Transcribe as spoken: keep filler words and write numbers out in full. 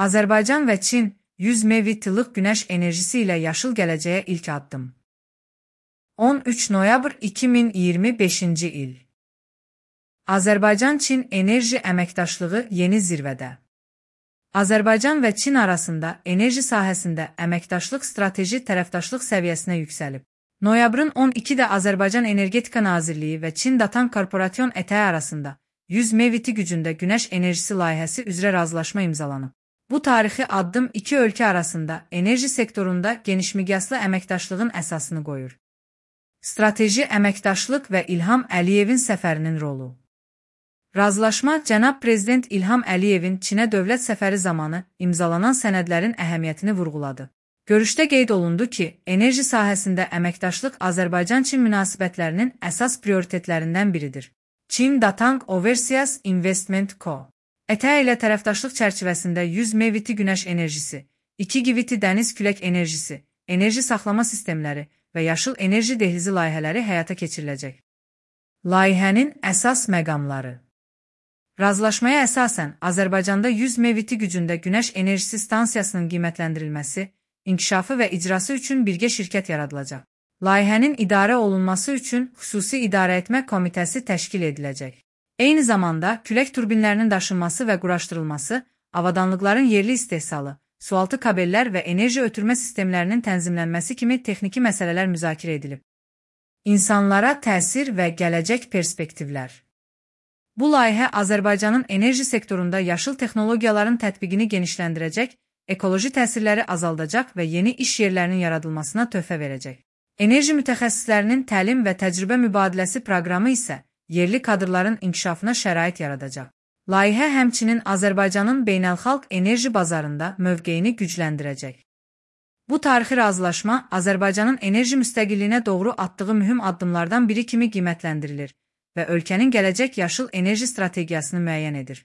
Azərbaycan və Çin yüz megawatt-lıq günəş enerjisi ilə yaşıl gələcəyə ilk addım. on üç noyabr iki min iyirmi beşinci il. Azərbaycan-Çin enerji əməkdaşlığı yeni zirvədə. Azərbaycan və Çin arasında enerji sahəsində əməkdaşlıq strateji tərəfdaşlıq səviyyəsinə yüksəlib. Noyabrın on ikidə Azərbaycan Energetika Nazirliyi və Çin Datan Korporasyon E T A arasında yüz megawatt gücündə günəş enerjisi layihəsi üzrə razılaşma imzalanıb. Bu tarixi addım iki ölkə arasında enerji sektorunda genişmiqyaslı əməkdaşlığın əsasını qoyur. Strateji əməkdaşlıq və İlham Əliyevin səfərinin rolu. Razılaşma Cənab Prezident İlham Əliyevin Çinə dövlət səfəri zamanı imzalanan sənədlərin əhəmiyyətini vurğuladı. Görüşdə qeyd olundu ki, enerji sahəsində əməkdaşlıq Azərbaycan-Çin münasibətlərinin əsas prioritetlərindən biridir. Çin Datang Overseas Investment Co. E T A ilə tərəfdaşlıq çərçivəsində yüz megawatt günəş enerjisi, iki gigawatt dəniz külək enerjisi, enerji saxlama sistemləri və yaşıl enerji dehlizi layihələri həyata keçiriləcək. Layihənin əsas məqamları. Razılaşmaya əsasən Azərbaycanda yüz megawatt gücündə günəş enerjisi stansiyasının qiymətləndirilməsi, inkişafı və icrası üçün birgə şirkət yaradılacaq. Layihənin idarə olunması üçün xüsusi idarəetmə komitəsi təşkil ediləcək. Eyni zamanda külək turbinlərinin daşınması və quraşdırılması, avadanlıqların yerli istehsalı, sualtı kabellər və enerji ötürmə sistemlərinin tənzimlənməsi kimi texniki məsələlər müzakirə edilib. İnsanlara təsir və gələcək perspektivlər. Bu layihə Azərbaycanın enerji sektorunda yaşıl texnologiyaların tətbiqini genişləndirəcək, ekoloji təsirləri azaldacaq və yeni iş yerlərinin yaradılmasına töhfə verəcək. Enerji mütəxəssislərinin təlim və təcrübə mübadiləsi proqramı isə yerli kadrların inkişafına şərait yaradacaq. Layihə həmçinin Azərbaycanın beynəlxalq enerji bazarında mövqeyini gücləndirəcək. Bu tarixi razılaşma Azərbaycanın enerji müstəqilliyinə doğru atdığı mühüm addımlardan biri kimi qiymətləndirilir və ölkənin gələcək yaşıl enerji strategiyasını müəyyən edir.